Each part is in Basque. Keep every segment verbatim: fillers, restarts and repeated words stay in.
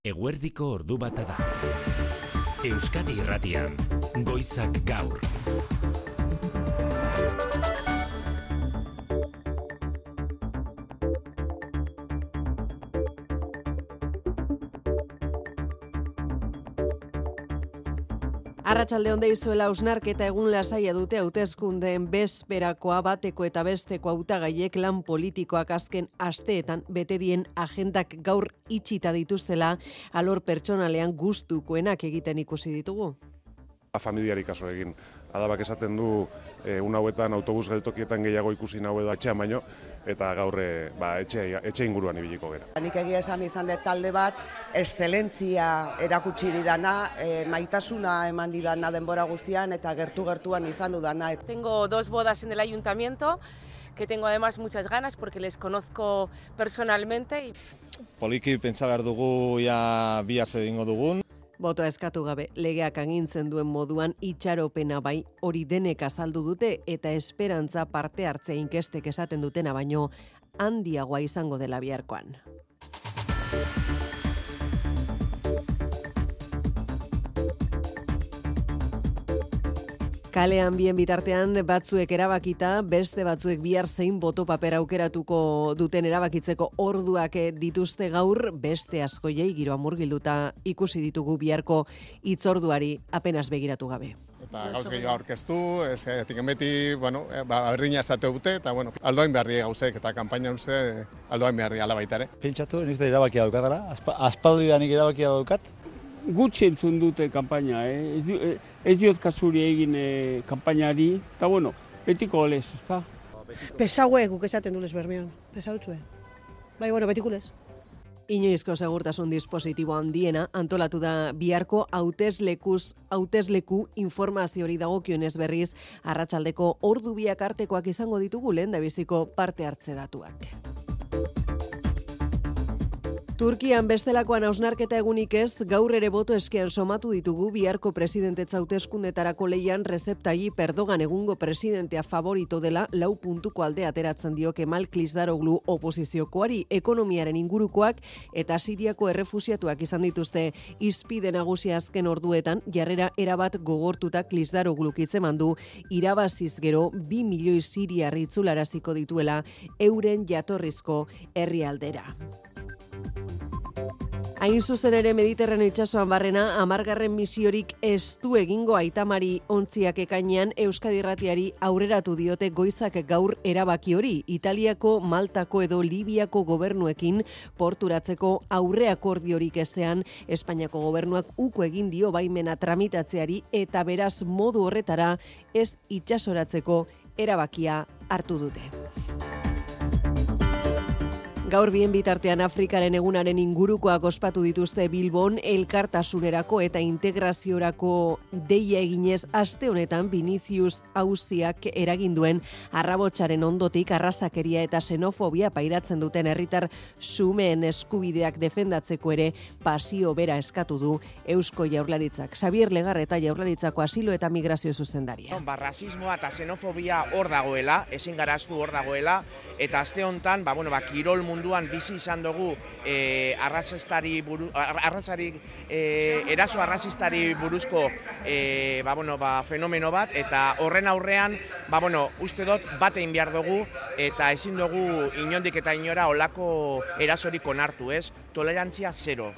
Eguerdiko ordu bata da. Euskadi Irratian, Goizak Gaur. Arratsalde on deizuela, hausnarketa egun lasaia dute hauteskundeen bezperakoa bateko eta besteko hautagaiek lan politikoak azken asteetan bete dien agendak gaur itxita dituztela alor pertsonalean gustukoenak egiten ikusi ditugu. Familiari kaso egin. Adabak esaten du egun hauetan autobus geltokietan gehiago ikusi nahu edo etxean baino, eta gaur ba, etxe, etxe inguruan ibiliko gera. Nik egia esan izan dut talde bat, excelentzia erakutsi didana, e, maitasuna eman didana denbora guztian eta gertu-gertuan izan dudana. Tengo dos bodas en el ayuntamiento, que tengo además muchas ganas porque les conozco personalmente. Y... Poliki pentsa behar dugu ja bihar zer egingo dugun. Botoa eskatu gabe, legeak agintzen duen moduan itxaropena bai hori denek azaldu dute eta esperantza parte hartzea inkestek esaten dutena baino handiagoa izango dela biharkoan. Kalean bien bitartean batzuek erabakita, beste batzuek bihar zein boto paper aukeratuko duten erabakitzeko orduak dituzte gaur, beste askoiei giroa murgilduta ikusi ditugu biharko hitzorduari apenas begiratu gabe. Eta gauz gehiago aurkeztu, ez etiken beti, bueno, ba, berdina esate dute, eta bueno, aldoain beharri gauzek, eta kanpaina uste aldoain beharri ala baita ere. Pentsatu, nizte erabakia daukatara, aspaldidanik erabakia daukat. Gutxi entzun dute kanpaina, eh? ez, di, ez diot kasuri egin eh, kanpainari, eta bueno, betiko olez, ezta? Pesaue guk esaten dulez bermion, pesautzue. Bai, bueno, betikulez. Inoizko segurtasun dispositibo handiena antolatu da biharko hauteslekuz hautesleku informaziori dagokionez berriz arratsaldeko ordu biak artekoak izango ditugu lehendabiziko parte hartze datuak. Turkian bestelakoan hausnarketa egunik ez, gaur ere boto eskean somatu ditugu biharko presidentetza hauteskundetarako leian Recep Tayyip Erdogan egungo presidentea favorito dela lau puntuko alde ateratzen dio Kemal Kılıçdaroğlu oposiziokoari, ekonomiaren ingurukoak eta Siriako errefusiatuak izan dituzte hizpide nagusia azken orduetan jarrera erabat gogortuta Kılıçdaroğlu hitzeman du irabaziz gero bi milioi siriar itzularaziko dituela euren jatorrizko herrialdera. Hain zuzen ere Mediterraneo itsasoan barrena hamargarren misiorik ez du egingo Aitamari ontziak ekainean Euskadi Irratiari aurreratu diote Goizak Gaur erabaki hori Italiako, Maltako edo Libiako gobernuekin porturatzeko aurre akordiorik ezean Espainiako gobernuak uko egin dio baimena tramitatzeari eta beraz modu horretara ez itsasoratzeko erabakia hartu dute. Gaur bien bitartean Afrikaren egunaren ingurukoak ospatu dituzte Bilbon elkartasunerako eta integraziorako deia eginez aste honetan Vinicius auziak eragin duen arrabotsaren ondotik arrazakeria eta xenofobia pairatzen duten herritar xumeen eskubideak defendatzeko ere pasio bera eskatu du Eusko Jaurlaritzak. Xabier Legarreta Jaurlaritzako asilo eta migrazio zuzendaria. Ba, rasismoa eta xenofobia hor dagoela, ezin gara astu hor dagoela, eta aste honetan, ba, bueno, ba, kirol munduan bizi izan dugu eh, arrazistari buru, arrazari, eh, eraso arrazistari buruzko eh, ba, bueno, ba, fenomeno bat, eta horren aurrean ba, bueno, uste dut bat egin behar dugu eta ezin dugu inondik eta inora olako erasorik onartu, ez? Tolerantzia zero.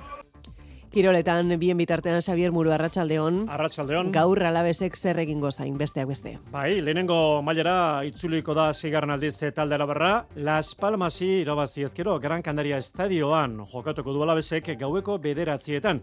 Kiroletan bien bitartean Xabier Muru arratsaldeon. Arratsaldeon. Gaur Alavesek zer egingo zain besteak beste. Bai, lehenengo mailara itzuliko da seigarren aldiz talde Arabarra. Las Palmasi irabazi ezkero Gran Canaria estadioan jokatuko du Alavesek gaueko bederatzietan.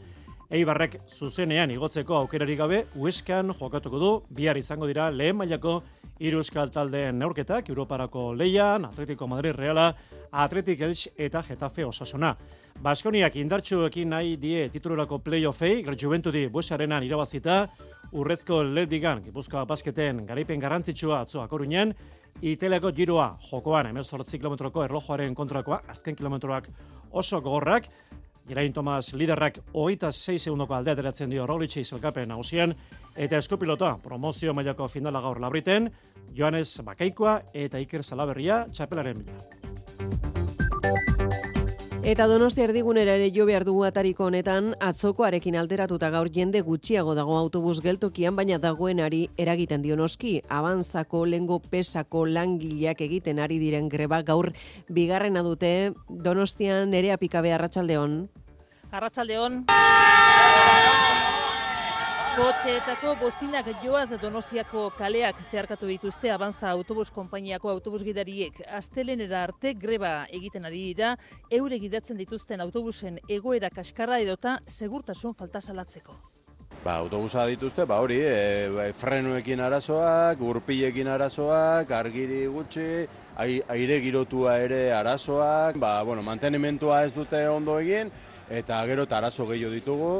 Eibarrek zuzenean igotzeko aukerarik gabe Huescan jokatuko du. Bihar izango dira lehen mailako hiru euskal taldeen neurketak Europarako leian, Atletico Madrid Reala, Athletic Elche eta Getafe Osasuna. Baskoniak indartsuekin nahi die titulurako playoffei, Juventudi Buesarenan irabazita, urrezko Ledigan, Gipuzkoa basketen garaipen garrantzitsua atzo Akoruñan, Italiako giroa jokoan hemezortzi kilometroko erlojuaren kontrakoa, azken kilometroak oso gogorrak, Geraint Tomas liderrak hogeita sei segundoko aldea ateratzen dio Roglicei sailkapen nagusian, eta eskupilota promozio mailako finala gaur Labriten, Joanes Bakaikoa eta Iker Salaberria txapelaren bila. Eta Donostia erdigunera ere jo behar dugu atariko honetan, atzokoarekin alderatuta gaur jende gutxiago dago autobus geltokian, baina dagoenari eragiten dio noski. Abanzako lengo pesako langileak egiten ari diren greba gaur bigarrena dute. Donostian Nerea Pikabe, arratsaldeon. Arratsaldeon. Kotxeetako bozinak joaz Donostiako kaleak zeharkatu dituzte Abanza autobus konpainiako autobus gidariek. Astelenera arte greba egiten ari dira, eure gidatzen dituzten autobusen egoera kaskarra edota segurtasun falta salatzeko. Ba, autobusa dituzte, ba hori, e, frenuekin arazoak, gurpilekin arazoak, argiri gutxi, aire girotua ere arazoak, ba, bueno, mantenimentua ez dute ondo egin, eta gero eta arazo gehiago ditugu.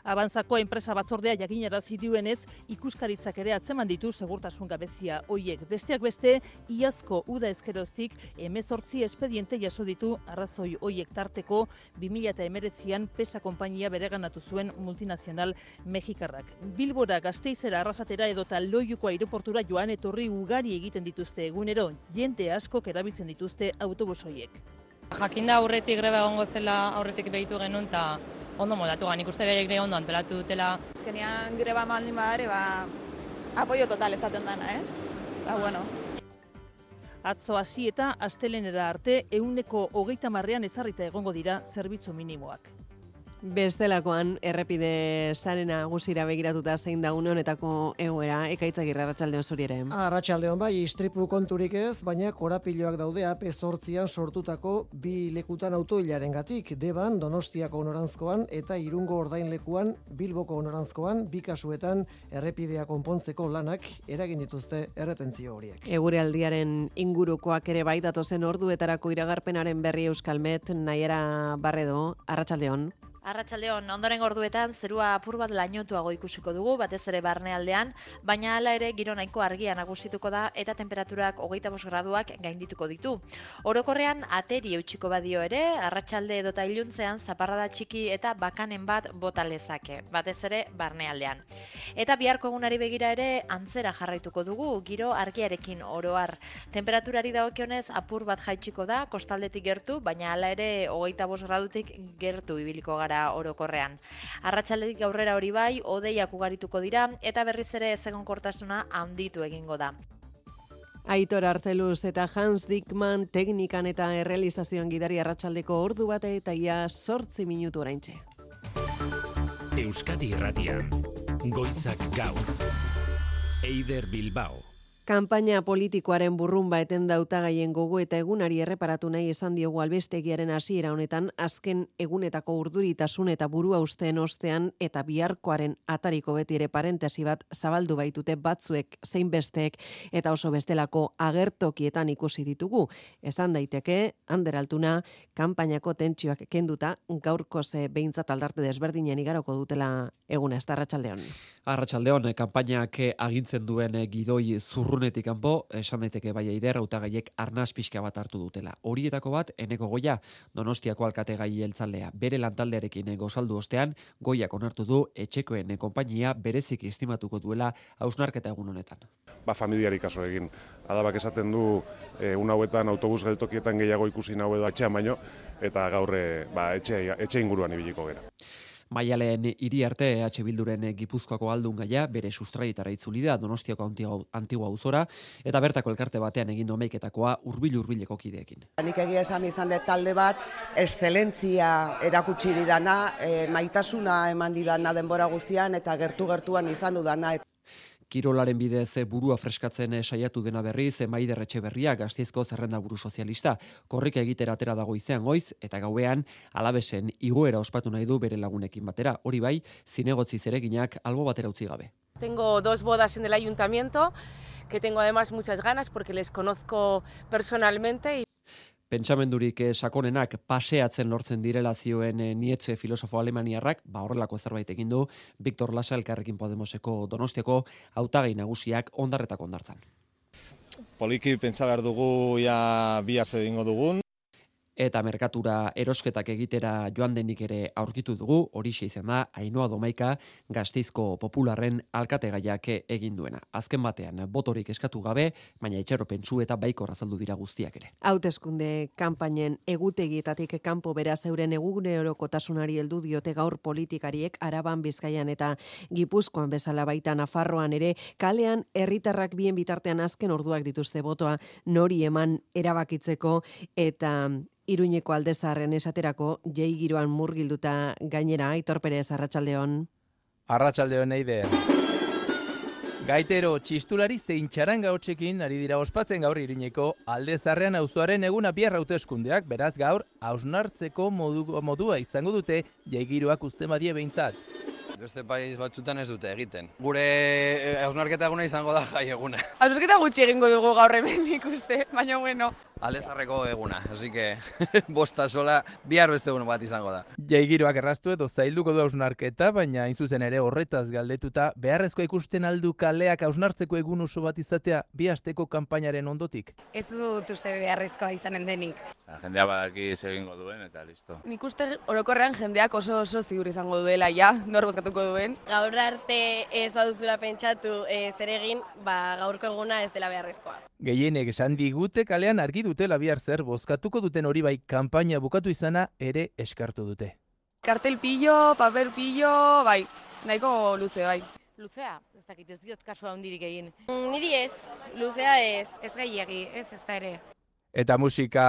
Abanzako enpresa batzordea jakinarazi duenez, ikuskaritzak ere atzeman ditu segurtasun gabezia hoiek. Besteak beste, iazko uda ezkeroztik hemezortzi espediente jaso ditu arrazoi hoiek tarteko bi mila hemeretzian Pesa konpainia bereganatu zuen multinazional mexikarrak. Bilbora, Gasteizera, Arrasatera edota Loiuko aireportura joan etorri ugari egiten dituzte egunero, jende askok erabiltzen dituzte autobus hoiek. Jakinda aurretik greba egongo zela aurretik behitu genuen eta ondo modatu gan, ikuste behaiek ere ondo antolatu dutela. Azkenean greba maldin badare, ba, apoio total ezaten dana, ez? Ba, bueno. Atzo hasi eta astelenera arte ehuneko hogeita marrean ezarrita egongo dira zerbitzu minimoak. Bestelakoan, errepide sare nagusira begiratuta zein da une honetako egoera, Ekaitzagirre, arratsaldeon zuri ere. Arratsaldeon bai, istripu konturik ez, baina korapiloak daude A P zortzian sortutako bi lekutan autoilarengatik, Deban, Donostiako noranzkoan eta Irungo ordainlekuan, Bilboko noranzkoan, bi kasuetan errepidea konpontzeko lanak eragin dituzte erretentzio horiek. Eguraldiaren ingurukoak ere bai datozen orduetarako iragarpenaren berri Euskalmet, Naiara Barredo, arratsaldeon. Arratsaldeon, ondoren orduetan zerua apur bat lainotuago ikusiko dugu, batez ere barnealdean, baina hala ere giro nahiko argia nagusituko da eta temperaturak hogeita bost graduak gaindituko ditu. Orokorrean ateri eutsiko badio ere, arratsalde edota iluntzean zaparrada txiki eta bakanen bat bota lezake, batez ere barnealdean. Eta biharko egunari begira ere antzera jarraituko dugu, giro argiarekin oroar. Temperaturari dagokionez apur bat jaitsiko da, kostaldetik gertu, baina hala ere hogeita bost gradutik gertu ibiliko gara orokorrean. Arratsaldetik aurrera hori bai, hodeiak ugarituko dira eta berriz ere ezegonkortasuna handitu egingo da. Aitor Arzeluz eta Hans Dickmann teknikan eta errealizazioan gidari arratsaldeko ordu bate eta ia zortzi minutu oraintxe. Euskadi Irratian, Goizak Gaur, Eider Bilbao. Kanpaina politikoaren burrumba eten dautagaien gogo eta egunari erreparatu nahi izan diogu albistegiaren hasiera honetan, azken egunetako urduritasun eta burua usteen ostean eta biharkoaren atariko beti ere parentesi bat zabaldu baitute batzuek zein besteek eta oso bestelako agertokietan ikusi ditugu. Esan daiteke, Ander Altuna, kanpainako tentsioak kenduta gaurko ze behintzat aldarte desberdinen igaroko dutela eguna, ez da arratsaldeon. Arratsaldeon, kanpainak agintzen duen gidoi zurru Urrunetik kanpo, esan daiteke bai Eider, hautagaiek arnaz pixka bat hartu dutela. Horietako bat, Eneko Goia, Donostiako alkategai jeltzalea. Bere lantaldearekin gozaldu ostean, Goiak onartu du etxekoen konpainia berezik estimatuko duela hausnarketa egun honetan. Ba, familiari kaso egin. Adabak esaten du, e, un hauetan autobus geltokietan gehiago ikusi nahu edo etxean baino, eta gaur ba, etxe, etxe inguruan ibiliko gera. Maialen hiri arte E H Bilduren Gipuzkoako aldun gaia bere sustraietara itzuli da Donostiako Antigua auzora eta bertako elkarte batean egin domeiketakoa hurbil-hurbileko kideekin. Nik egia esan izan dut talde bat, exzelentzia erakutsi didana, e, maitasuna eman didana denbora guztian eta gertu-gertuan izan dudana. Kirolaren bidez burua freskatzen saiatu dena berriz, Maider Etxeberria, Gasteizko zerrenda buru sozialista, korrika egitera atera dago izean goiz, eta gauean Alabesen igoera ospatu nahi du bere lagunekin batera. Hori bai, zinegotzi zereginak albo batera utzi gabe. Tengo dos bodas en el ayuntamiento, que tengo además muchas ganas porque les conozco personalmente. Y Pentsamendurik sakonenak paseatzen lortzen direla zioen Nietzsche filosofo alemaniarrak, ba horrelako zerbait egin du Victor Lasa Elkarrekin Podemoseko Donostiako hautagai nagusiak ondarretako ondartzan. Poliki pentsa behar dugu ja bihar zer egingo dugun. eta merkatura erosketak egitera joan denik ere aurkitu dugu, horixe izan da Ainhoa Domaika Gasteizko Popularren alkategaiak egin duena. Azken batean botorik eskatu gabe, baina itxaropentsu eta baikor azaldu dira guztiak ere. Hauteskunde kanpainen egutegietatik kanpo beraz euren egunerokotasunari heldu diote gaur politikariek Araban, Bizkaian eta Gipuzkoan bezala baita Nafarroan ere kalean herritarrak bien bitartean azken orduak dituzte botoa nori eman erabakitzeko eta Iruñeko Aldezarren esaterako jai giroan murgilduta gainera. Aitor Perez, arratsaldeon. Arratsaldeon Eide. Gaitero txistulari zein txaranga hotsekin ari dira ospatzen gaur Iruñeko Aldezarrean auzoaren eguna bihar hauteskundeak, beraz gaur hausnartzeko modu, modua izango dute jai giroak uzten badie behintzat. Beste país batzutan ez dute egiten. Gure hausnarketa eguna izango da jai eguna. Hausnarketa gutxi egingo dugu gaur hemen ikuste, baina bueno. Aldezarreko eguna, así que bosta sola bihar beste egun bat izango da. Jai giroak erraztu edo zailduko du hausnarketa, baina hain zuzen ere horretaz galdetuta beharrezkoa ikusten aldu kaleak hausnartzeko egun oso bat izatea bi asteko kanpainaren ondotik. Ez dut uste beharrezkoa izanen denik. Jendea badaki egingo duen eta listo. Nik uste orokorrean jendeak oso oso ziur izango duela, ja, nor bozkatuko duen. Gaur arte ez baduzula pentsatu e, zer egin, ba, gaurko eguna ez dela beharrezkoa. Gehienek esan digute kalean argi dutela bihar zer bozkatuko duten hori bai kanpaina bukatu izana ere eskartu dute. Kartel pillo, papel pillo, bai, nahiko luze bai. Luzea, ez dakit ez diot kasua handirik egin. Mm, niri ez, luzea ez. Ez gehiegi, ez ez da ere. Eta musika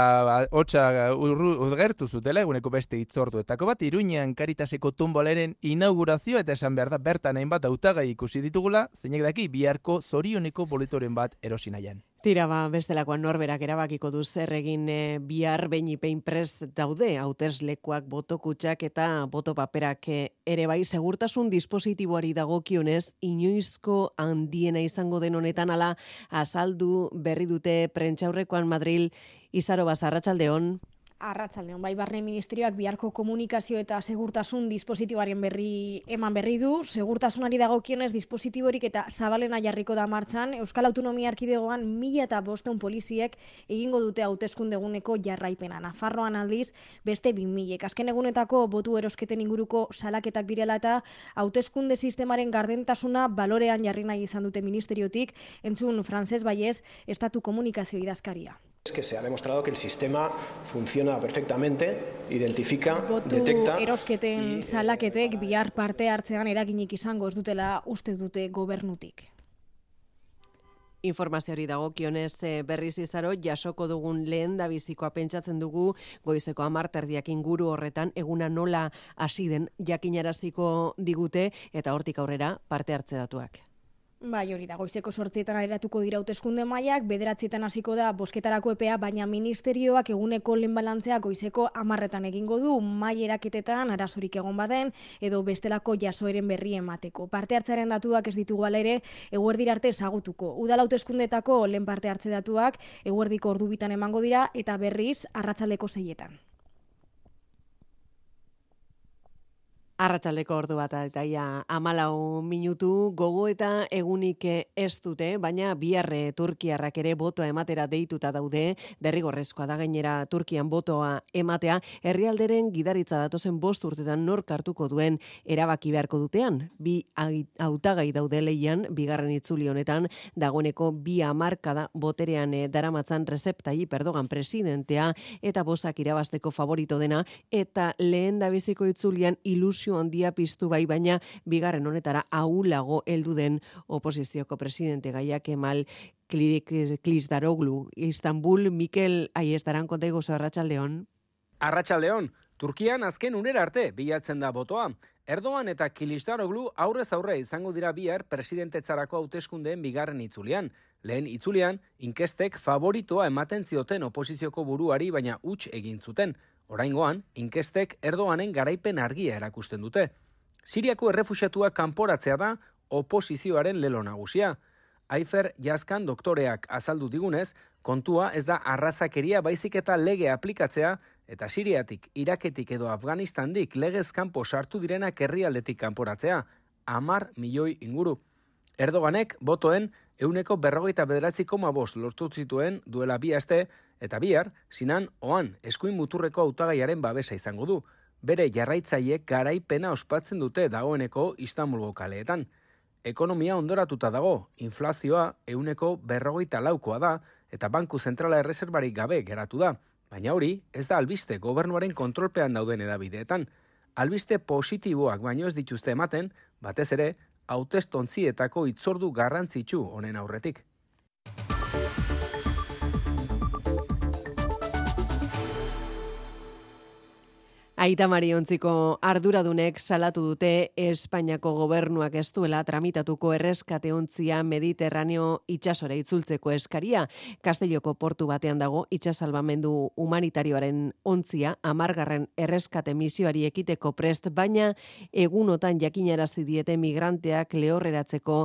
hotsa urgertu zutela eguneko beste hitzorduetako bat Iruñean Karitaseko tumbolaren inaugurazioa eta esan behar da bertan hainbat hautagai ikusi ditugula, zeinek daki biharko zorioneko boletoren bat erosi nahian. Tira ba, bestelakoan norberak erabakiko du zer egin e, bihar beinipein prest daude, hauteslekuak, botokutxak eta botopaperak e, ere bai segurtasun dispositiboari dagokionez, inoizko handiena izango den honetan ala azaldu berri dute prentsaurrekoan Madril. Izaro Bas, arratsaldeon. Arratsaldeon, bai, Barne Ministerioak biharko komunikazio eta segurtasun dispositiboaren berri eman berri du. Segurtasunari dagokionez dispositiborik eta zabalena jarriko da martxan. Euskal Autonomia Erkidegoan mila eta bostehun poliziek egingo dute hauteskundeguneko jarraipena. Nafarroan aldiz beste bi milek. Azken egunetako botu erosketen inguruko salaketak direla eta hauteskunde sistemaren gardentasuna balorean jarri nahi izan dute ministeriotik, entzun Frances Baiez, Estatu Komunikazio idazkaria. Es que se ha demostrado que el sistema funciona perfectamente, identifica, Botu detecta... erosketen salaketek bihar parte hartzean eraginik izango ez dutela uste dute gobernutik. Informazioari dagokionez berriz Izaro jasoko dugun lehen da bizikoa pentsatzen dugu goizeko hamar terdiak inguru horretan eguna nola hasi den jakinaraziko digute eta hortik aurrera parte hartze datuak. Bai, hori da, goizeko sortzietan aleratuko dira hauteskunde mailak, bederatzietan hasiko da bozketarako epea, baina ministerioak eguneko lehen balantzea goizeko hamarretan egingo du, mai eraketetan arazorik egon baden, edo bestelako jasoeren berri emateko. Parte hartzearen datuak ez ditugu ala ere, eguerdira arte ezagutuko. Udal hauteskundetako lehen parte hartze datuak, eguerdiko ordu bitan emango dira, eta berriz arratsaldeko seietan. Arratsaldeko ordu bat eta ia hamalau minutu gogo eta egunik ez dute, baina biharre Turkiarrak ere botoa ematera deituta daude, derrigorrezkoa da gainera Turkian botoa ematea, herrialderen gidaritza datozen bost urtetan nork hartuko duen erabaki beharko dutean. Bi hautagai daude leian, bigarren itzuli honetan, dagoeneko bi hamarkada boterean daramatzan Recep Tayyip Erdogan presidentea eta bozak irabazteko favorito dena, eta lehen dabiziko itzulian ilusio handia piztu bai, baina bigarren honetara ahulago heldu den oposizioko presidente Gaia Kemal Kılıçdaroğlu. Istanbul, Mikel Aiestaran konta iguzu, arratsaldeon. Arratsaldeon, Turkian azken unera arte bilatzen da botoa. Erdogan eta Kılıçdaroğlu aurrez aurre izango dira bihar presidentetzarako hauteskundeen bigarren itzulian. Lehen itzulian, inkestek favoritoa ematen zioten oposizioko buruari, baina huts egin zuten. Oraingoan, inkestek Erdoganen garaipen argia erakusten dute. Siriako errefuxiatuak kanporatzea da oposizioaren lelo nagusia. Aifer Yazkan doktoreak azaldu digunez, kontua ez da arrazakeria baizik eta lege aplikatzea, eta Siriatik, Iraketik edo Afganistandik legez kanpo sartu direnak herrialdetik kanporatzea, hamar milioi inguru. Erdoganek botoen ehuneko berrogeita bederatzi koma bost lortu zituen duela bi aste, Eta bihar, Sinan Oan eskuin muturreko hautagaiaren babesa izango du. Bere jarraitzaileek garaipena ospatzen dute dagoeneko Istanbulgo kaleetan. Ekonomia ondoratuta dago, inflazioa ehuneko berrogeita laukoa da, eta Banku Zentrala erreserbarik gabe geratu da. Baina hori, ez da albiste gobernuaren kontrolpean dauden edabideetan. Albiste positiboak baino ez dituzte ematen, batez ere, hautestontzietako hitzordu garrantzitsu honen aurretik. Aita Mari ontziko arduradunek salatu dute Espainiako gobernuak ez duela tramitatuko erreskate ontzia Mediterraneo itsasora itzultzeko eskaria. Castelloko portu batean dago itsasalbamendu humanitarioaren ontzia hamargarren erreskate misioari ekiteko prest, baina egunotan jakinarazi diete migranteak lehorreratzeko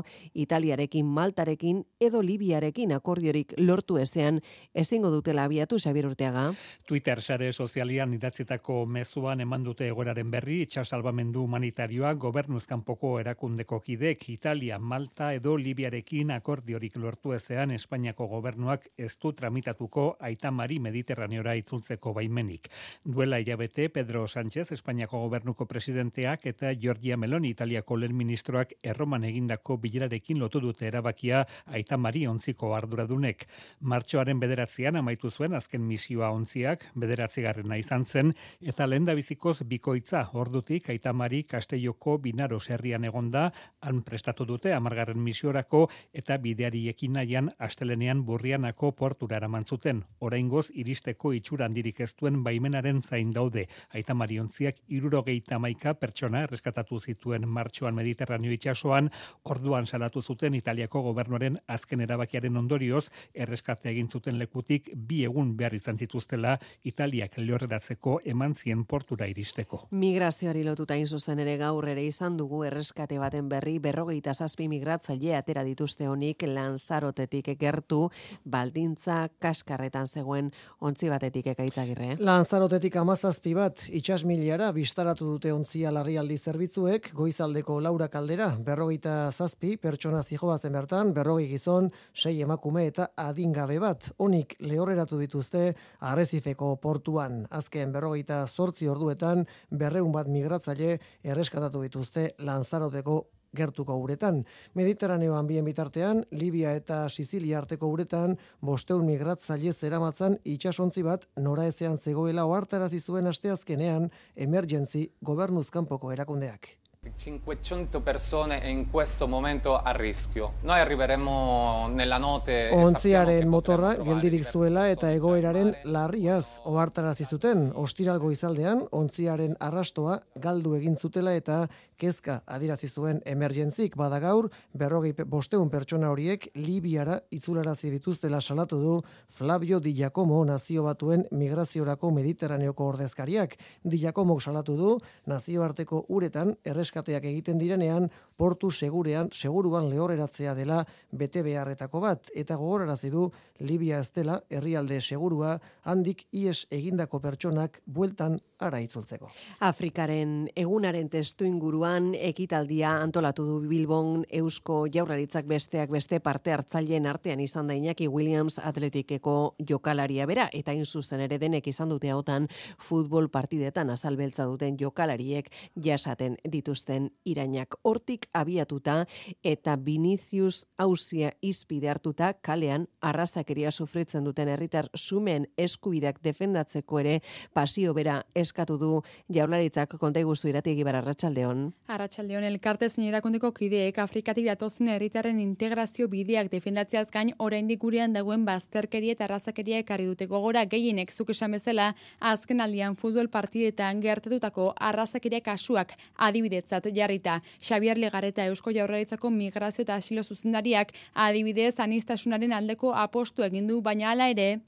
Italiarekin, Maltarekin edo Libiarekin akordiorik lortu ezean ezingo dutela abiatu. Xabier Urteaga. Twitter sare sozialian idatzitako mezu eman dute egoeraren berri, itsasalbamendu humanitarioa gobernuz kanpoko erakundeko kidek Italia, Malta edo Libiarekin akordiorik lortu ezean Espainiako gobernuak ez du tramitatuko Aita Mari Mediterraneora itzultzeko baimenik. Duela hilabete Pedro Sánchez, Espainiako gobernuko presidenteak eta Giorgia Meloni, Italiako lehen ministroak erroman egindako bilerarekin lotu dute erabakia Aita Mari ontziko arduradunek. Martxoaren bederatzean amaitu zuen azken misioa ontziak, bederatzigarrena izan zen, eta lehen bizikoz bikoitza ordutik Aita Mari Castelloko Binaro herrian egonda, han prestatu dute hamargarren misiorako eta bideari ekin nahian astelenean Burrianako portura eraman zuten. Oraingoz iristeko itxura handirik ez duen baimenaren zain daude. Aita Mari ontziak hirurogeita hamaika pertsona erreskatatu zituen martxoan Mediterraneo itsasoan, orduan salatu zuten Italiako gobernuaren azken erabakiaren ondorioz erreskate egin zuten lekutik bi egun behar izan zituztela Italiak lehorreratzeko eman zien portura iristeko. Migrazioari lotuta hain zuzen ere gaur ere izan dugu erreskate baten berri, berrogeita zazpi migratzaile atera dituzte honik Lanzarotetik gertu, baldintza kaskarretan zegoen ontzi batetik. Ekaitzagirre. Lanzarotetik hamazazpi bat itsasmiliara bistaratu dute ontzia larrialdi zerbitzuek, goizaldeko Laura Kaldera, berrogeita zazpi pertsona zijoazen bertan, berrogei gizon, sei emakume eta adingabe bat, honik lehorreratu dituzte Arrezifeko portuan. Azken berrogeita zortzi orduetan berreun bat migratzaile erreskatatu dituzte Lanzaroteko gertuko uretan. Mediterraneoan bien bitartean, Libia eta Sizilia arteko uretan bosteun migratzaile zeramatzan itsasontzi bat noraezean zegoela ohartarazi zuen asteazkenean Emergency gobernuz kanpoko erakundeak. cinquecento persone in questo momento a rischio. Noi arriveremo nella notte. Ontziaren motorra geldirik zuela eta egoeraren larriaz ohartarazi zuten. Ostiral goizaldean ontziaren arrastoa galdu egin zutela eta kezka adirazi zuen Emergencyk. Bada gaur berrogei bosteun pertsona horiek Libiara itzularazi dituztela salatu du Flavio Di Giacomo, nazio batuen migraziorako Mediterraneoko ordezkariak. Di Giacomo salatu du nazioarteko uretan erreskateak egiten direnean portu segurean, seguruan lehorreratzea dela bete beharretako bat, eta gogorarazi du Libia ez dela herrialde segurua handik ies egindako pertsonak bueltan ara itzultzeko. Afrikaren egunaren testu inguruan ekitaldia antolatu du Bilbon Eusko Jaurlaritzak besteak beste parte hartzaileen artean izan da Iñaki Williams atletikeko jokalaria bera, eta hain zuzen ere denek izan dute hautan futbol partidetan azalbeltza duten jokalariek jasaten dituzten irainak. Hortik abiatuta eta Vinicius auzia izpide hartuta kalean arrazakeria sufritzen duten herritar sumen eskubideak defendatzeko ere pasio bera eskatu du Jaurlaritzak. Konta iguzu Irati Egibar, arratsaldeon. Arratsaldeon, elkarte zein erakundeko kideek Afrikatik datozen herritarren integrazio bideak defendatzeaz gain oraindik gurean dagoen bazterkeria eta arrazakeria ekarri dute gogora. Gehienek zuk esan bezala azken aldian futbol partidetan gertatutako arrazakeria kasuak adibidetzat jarrita. Xabier Legarreta Eusko Jaurlaritzako migrazio eta asilo zuzendariak adibidez aniztasunaren aldeko apostu egin du, baina hala ere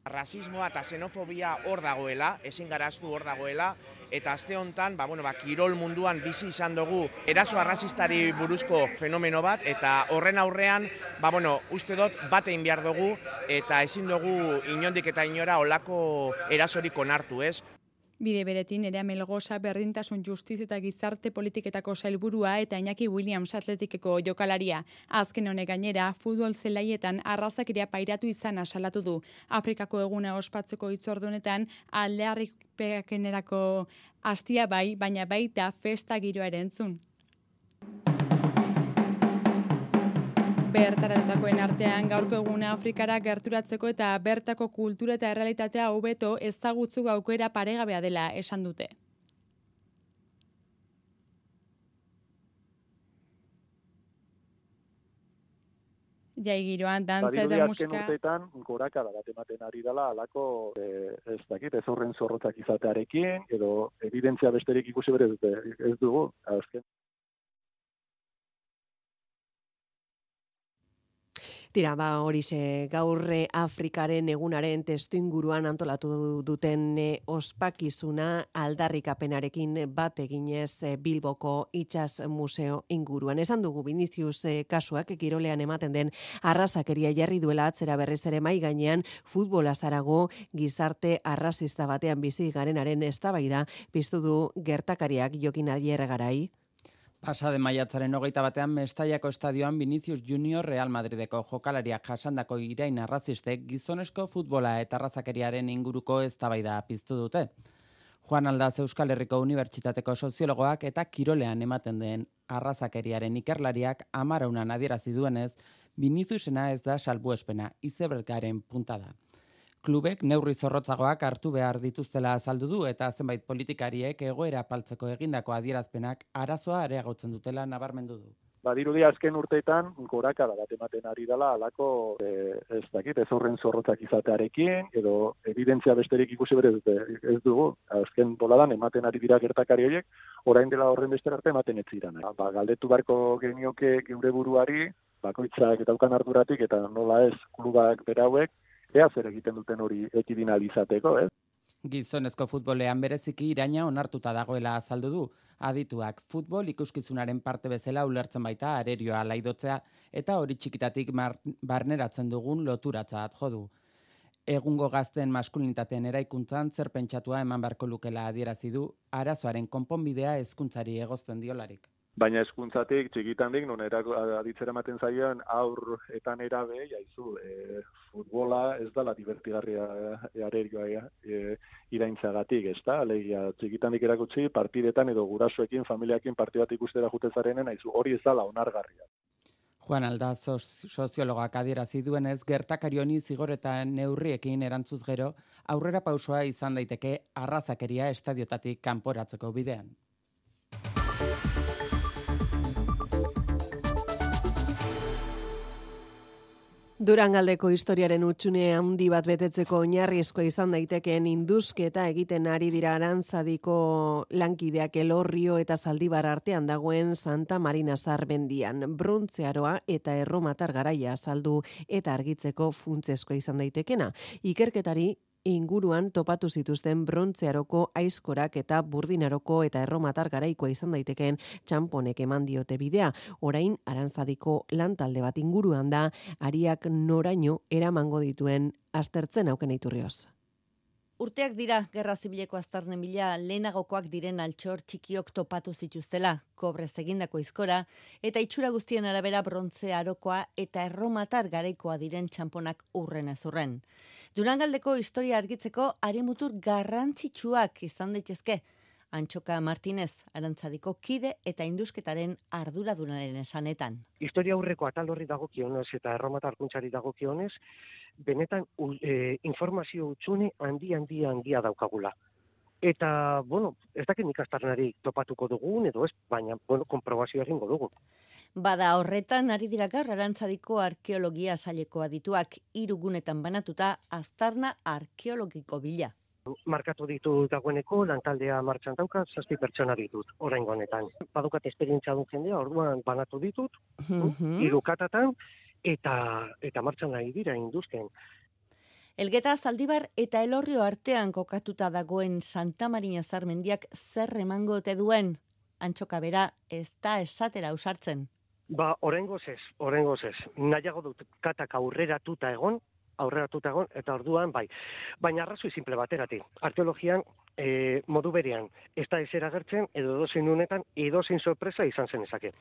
rasismoa eta xenofobia hor dagoela, ezin garaztu hor dagoela, eta aste hontan, ba, bueno, ba, kirol munduan bizi izan dugu eraso arrazistari buruzko fenomeno bat, eta horren aurrean, ba, bueno, uste dut bat egin behar dugu, eta ezin dugu inondik eta inora olako erasorik onartu, ez? Bide beretin, Nerea Melgosa berdintasun justiz eta gizarte politiketako sailburua eta Iñaki Williams atletikeko jokalaria. Azken honek gainera, futbol zelaietan arrazakeria pairatu izan asalatu du. Afrikako eguna ospatzeko hitzordunetan aldearripekenerako hastia bai, baina baita festa giroa ere entzun. Bertaratutakoen artean gaurko eguna Afrikara gerturatzeko eta bertako kultura eta errealitatea hobeto ezagutzu aukera paregabea dela esan dute. Jai giroan, dantza eta musika. Badirudi azken urteetan gorakada bat ematen ari dela halako eh, ez dakit, ez horren zorrotzak izatearekin, edo evidentzia besterik ikusi bere dute, ez dugu, azken. Tira, ba, horixe, gaur Afrikaren egunaren testu inguruan antolatu duten ospakizuna aldarrikapenarekin bat eginez Bilboko Itsas Museo inguruan. Esan dugu Vinicius kasuak kirolean ematen den arrazakeria jarri duela atzera berriz ere mai gainean futbola zarago gizarte arrazista batean bizi garenaren eztabaida piztu du gertakariak Jokin Garai. Pasade maiatzaren hogeita batean Mestallako estadioan Vinicius Junior Real Madrideko jokalariak jasandako irain arrazistek gizonezko futbola eta arrazakeriaren inguruko eztabaida piztu dute. Juan Aldaz Euskal Herriko Unibertsitateko soziologoak eta kirolean ematen den arrazakeriaren ikerlariak amaraunan adierazi duenez, Viniciusena ez da salbuespena, izebergaren punta da. Klubek neurri zorrotzagoak hartu behar dituztela azaldu du eta zenbait politikariek egoera apaltzeko egindako adierazpenak arazoa areagotzen dutela nabarmendu du. Badirudi azken urteetan gorakada bat ematen ari dela halako eh, ez dakit, ez horren zorrotzak izatearekin, edo evidentzia besterik ikusi bere dute, ez dugu. Azken boladan ematen ari dira gertakari horiek, orain dela horren bester arte ematen ez ziren. Ba, galdetu barko genioke geure buruari, bakoitzak eta daukan arduratik, eta nola ez klubak berauek, ea zer egiten duten hori ekidinalizateko, ez? Gizonezko futbolean bereziki iraina onartuta dagoela azaldu du. Adituak futbol ikuskizunaren parte bezala ulertzen baita arerioa laidotzea eta hori txikitatik barneratzen dugun loturatzat jo du. Egungo gazten maskulinitateen eraikuntzan zer pentsatua eman beharko lukela adierazi du arazoaren konponbidea hezkuntzari egozten diolarik. Baina hezkuntzatik txikitandik non aditzera ematen zaioen aur eta nerabe jaizu e, futbola ez dela divertigarria arerioa e, iraintzagatik, ezta? Alegia txikitandik erakutsi partidetan edo gurasoekin familiaekin partidu bat ikustera jute zarenen aizu hori ez dela onargarria. Juan Aldaz soziologak adierazi duenez gertakari honi zigor eta neurriekin erantzuz gero aurrera pausoa izan daiteke arrazakeria estadiotatik kanporatzeko bidean. Durangaldeko historiaren utxune handi bat betetzeko oinarrizkoa izan daitekeen indusketa egiten ari dira Arantzadiko lankideak Elorrio eta Zaldibar artean dagoen Santa Marina Zarbendian. Brontzearoa eta erromatar garaia azaldu eta argitzeko funtsezkoa izan daitekena. Ikerketari inguruan topatu zituzten brontzearoko aizkorak eta burdinaroko eta erromatar garaikoa izan daitekeen txamponek eman diote bidea. Orain Arantzadiko lantalde bat inguruan da ariak noraino eramango dituen aztertzen auken iturrioz. Urteak dira gerra zibileko aztarnen bila lehenagokoak diren altxor txikiok topatu zituztela, kobrez egindako izkora, eta itxura guztien arabera brontze arokoa eta erromatar garaikoa diren txamponak urren ezurren. Durangaldeko historia argitzeko arimutur garrantzitsuak izan daitezke. Antxoka Martinez, Arantzadiko kide eta indusketaren arduradunaren esanetan. Historia aurreko atal horri dagokionez eta erromatar kuntzari dagokionez, benetan e, informazio utxune handi handi handia daukagula. Eta, bueno, ez dakit nik aztarnari topatuko dugun, edo ez, baina, bueno, konprobazioa egingo dugu. Bada horretan, ari dira gaur Arantzadiko arkeologia saileko adituak hiru gunetan banatuta aztarna arkeologiko bila. Markatu ditu dagoeneko, lantaldea martxan dauka, zazpi pertsona ditut, oraingo honetan. Badukat esperientzia duen jendea, orduan banatu ditut, Mhm. hiru katatan, eta, eta martxan nahi dira induzken. Elgeta, Zaldibar eta Elorrio artean kokatuta dagoen Santa Marina Zarmendiak zer emango ote duen? Antxoka bera ez da esatera ausartzen. Ba, oraingoz ez, oraingoz ez. Nahiago dut katak aurreratuta egon, aurreratuta egon, eta orduan bai. Baina arrazoi simple bateratik. Arkeologian e, modu berean ez da ezer agertzen, edo edozein unetan, edozein sorpresa izan zen ezake.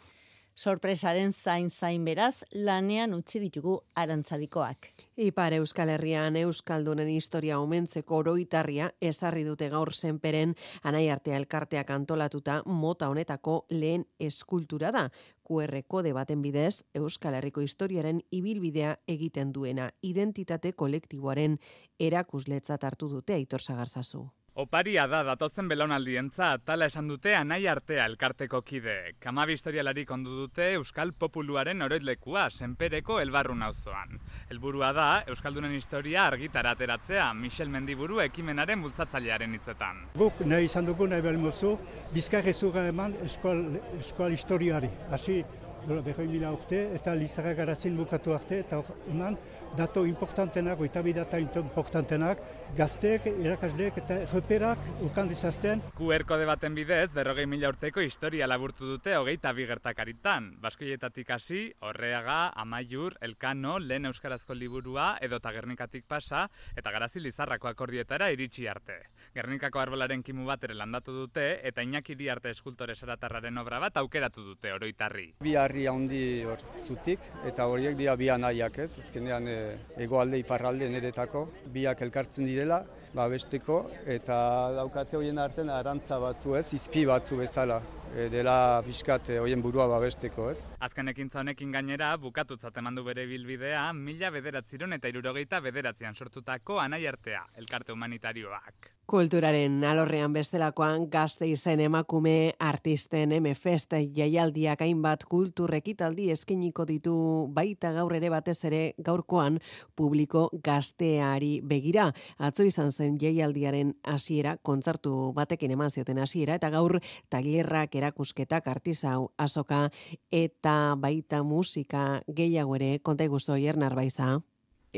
Sorpresaren zain zain beraz, lanean utzi ditugu arantzadikoak. Ipar Euskal Herrian Euskaldunen historia omentzeko oroitarria ezarri dute gaur Senperen Anaiartea elkarteak antolatuta mota honetako lehen eskultura da. Q R kode baten bidez Euskal Herriko historiaren ibilbidea egiten duena identitate kolektiboaren erakusletzat hartu dute Aitor Sagarzazu. Oparia da datozen belaunaldientzat, tala esan dute Anaiartea elkarteko kide. Hamabi historialari kondu dute Euskal Populuaren oroitlekua Senpereko Elbarrun auzoan. Helburua da Euskaldunen historia argitara ateratzea, Michel Mendiburu ekimenaren bultzatzailearen hitzetan. Guk nahi izan dugu nahi belmozu, bizkarrezura eman eskual historiari. Hasi, berroi mila urte, eta Lizarra Garazin bukatu arte, eta eman dato importantenak, oita bi data importantenak, gazteek, irakasleek eta reperak ukan dizazten. Q R kode baten bidez, berrogei mila urteko historia laburtu dute hogeita bi gertakaritan. Baskoietatik hasi, Orreaga, Amaiur, Elkano, lehen euskarazko liburua, edo Gernikatik pasa, eta Garazi Lizarrako akordioetara iritsi arte. Gernikako arbolaren kimu bat ere landatu dute, eta Iñaki Iriarte eskultore saratarraren obra bat aukeratu dute oroitarri. Bi harri handi hor zutik, eta horiek dira bi anaiak ez, ezkenean e, egoalde iparralde neretako, biak elkartzen direla, babesteko, eta daukate horien artean arantza batzu ez, izpi batzu bezala. E, dela pixkat horien burua babesteko, ez? Azken ekintza honekin gainera, bukatutzat eman du bere bilbidea, mila bederatziron eta hirurogeita bederatzian sortutako Anaiartea, elkarte humanitarioak. Kulturaren alorrean bestelakoan Gasteizen emakume artisten M-Fest jaialdiak hainbat kultur ekitaldi eskainiko ditu baita gaur ere batez ere gaurkoan publiko gazteari begira. Atzo izan zen jaialdiaren hasiera, kontzertu batekin eman zioten hasiera eta gaur tailerrak, erakusketak, artisau, azoka eta baita musika gehiago ere konta iguzu Jernar Baiza.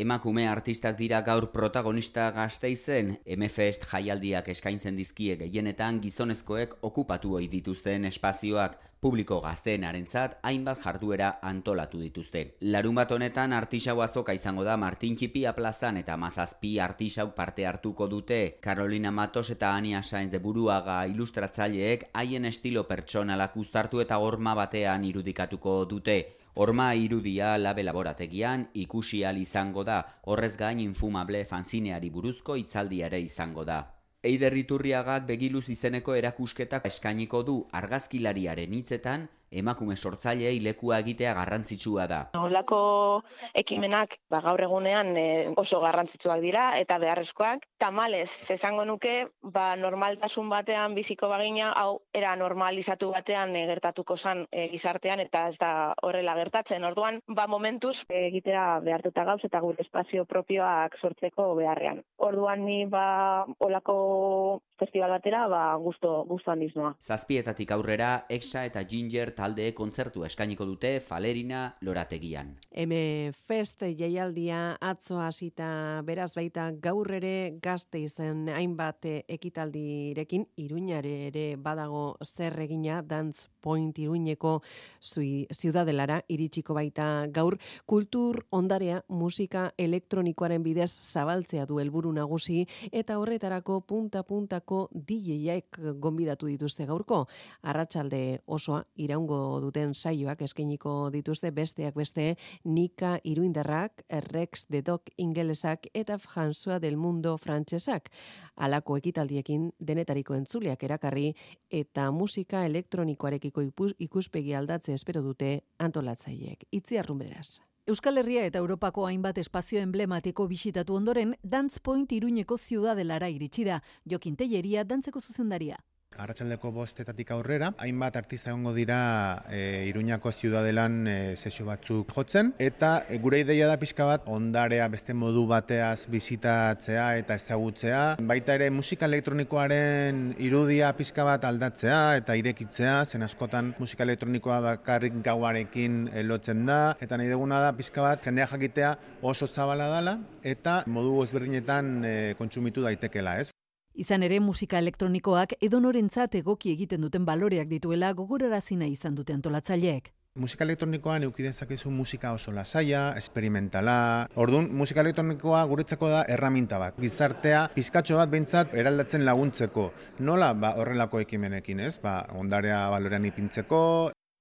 Emakume artistak dira gaur protagonista Gasteizen, M-Fest jaialdiak eskaintzen dizkie gehienetan gizonezkoek okupatu ohi dituzten espazioak, publiko gazteenarentzat hainbat jarduera antolatu dituzte. Larunbat honetan artisau azoka izango da Martin Txipia plazan eta mazazpi artisau parte hartuko dute. Carolina Matos eta Ania Sainz de Buruaga ilustratzaileek haien estilo pertsonalak uztartu eta horma batean irudikatuko dute. Horma irudia labe laborategian ikusi ahal izango da, horrez gain infumable fanzineari buruzko hitzaldia ere izango da. Eider Iturriagak begiluz izeneko erakusketak eskainiko du argazkilariaren hitzetan, emakume sortzaileei lekua egitea garrantzitsua da. Holako ekimenak ba, gaur egunean e, oso garrantzitsuak dira eta beharrezkoak. Tamalez, esango nuke, ba, normaltasun batean biziko bagina, hau era normalizatu batean e, gertatuko zan e, gizartean eta ez da horrela gertatzen. Orduan, ba, momentuz e, egitea behartuta gauz eta gure espazio propioak sortzeko beharrean. Orduan ni ba, holako festival batera ba, gusto, gusto handiz noa. Zazpietatik aurrera, Exa eta Ginger talde kontzertu eskainiko dute Falerina lorategian. M-Fest jaialdia atzo hasita beraz baita gaur ere Gasteizen hainbat ekitaldirekin Iruñare ere badago zer egina Dance Point Iruñeko ziudadelara iritsiko baita gaur kultur ondarea musika elektronikoaren bidez zabaltzea du helburu nagusi eta horretarako punta-puntako D J-ek gonbidatu dituzte gaurko. Arratsalde osoa iraungo duten saioak eskainiko dituzte besteak beste Nika Iruindarrak, Rex de Doc ingelesak eta François del Mundo frantsesak. Halako ekitaldiekin denetariko entzuleak erakarri eta musika elektronikoarekiko ikuspegi aldatze espero dute antolatzaileek. Itziar Rumbreras. Euskal Herria eta Europako hainbat espazio emblematiko bisitatu ondoren, Dance Point Iruñeko ziudadelara iritsi da. Jokin Telleria dantzeko zuzendaria. Arratsaldeko bostetatik aurrera, hainbat artista egongo dira e, Iruñako ziudadelan e, sesio batzuk jotzen, eta e, gure ideia da pixka bat ondarea beste modu bateaz bisitatzea eta ezagutzea, baita ere musika elektronikoaren irudia pixka bat aldatzea eta irekitzea, zen askotan musika elektronikoa bakarrik gauarekin e, lotzen da, eta nahi duguna da pixka bat jendea jakitea oso zabala dala eta modu ezberdinetan e, kontsumitu daitekela, ez? Izan ere, musika elektronikoak edonorentzat egoki egiten duten baloreak dituela gogorarazina izan dute antolatzaileek. Musika elektronikoan eduki dezakezu musika oso lasaia, esperimentala. Orduan, musika elektronikoa guretzako da erraminta bat. Gizartea pizkatxo bat behintzat eraldatzen laguntzeko. Nola ba, horrelako ekimenekin, ez? Ba, ondarea balorean ipintzeko.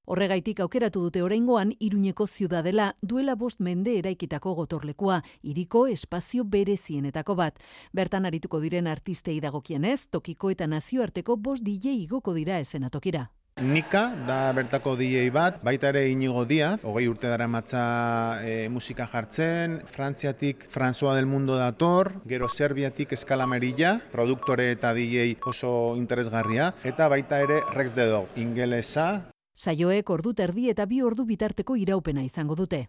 Horregaitik aukeratu dute oraingoan Iruñeko ziudadela duela bost mende eraikitako gotorlekua, hiriko espazio berezienetako bat. Bertan arituko diren artistei dagokienez, tokiko eta nazioarteko bost D J igoko dira eszenatokira. Nika da bertako D J bat, baita ere Inigo Diaz, hogei urte dara matza e, musika jartzen, Frantziatik François del Mundo dator, gero Serbiatik Eskala Merilla, produktore eta D J oso interesgarria, eta baita ere Rex the Dog, ingelesa. Saioek ordu terdi eta bi ordu bitarteko iraupena izango dute.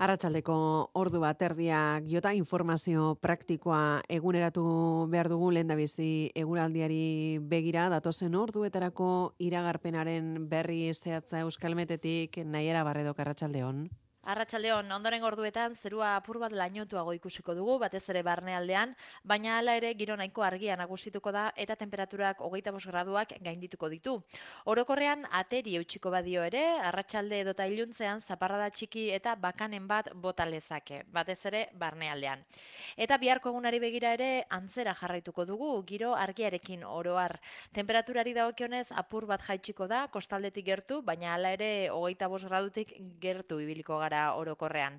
Arratsaldeko ordu bat erdiak jota informazio praktikoa eguneratu behar dugu lehendabizi eguraldiari begira datozen orduetarako iragarpenaren berri zehatza Euskalmetetik Naiara Barredok arratsaldeon. Arratsaldeon, ondoren orduetan zerua apur bat lainotuago ikusiko dugu, batez ere barnealdean, baina hala ere giro nahiko argia nagusituko da eta temperaturak hogeita bost graduak gaindituko ditu. Orokorrean ateri eutxiko badio ere, arratsalde edota iluntzean zaparrada txiki eta bakanen bat bota lezake, batez ere barnealdean. Eta biharko egunari begira ere antzera jarraituko dugu, giro argiarekin oroar. Temperaturari dagokionez apur bat jaitsiko da, kostaldetik gertu, baina hala ere hogeita bost gradutik gertu ibiliko gara orokorrean.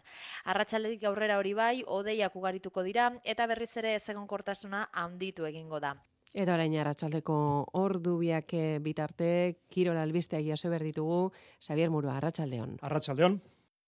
Arratsaldetik aurrera hori bai, hodeiak ugarituko dira eta berriz ere ezegonkortasuna handitu egingo da. Eta orain arratsaldeko ordu biak bitarte, Kirol albisteak jaso behar ditugu, Xabier Murua, arratsaldeon. Arratsaldeon.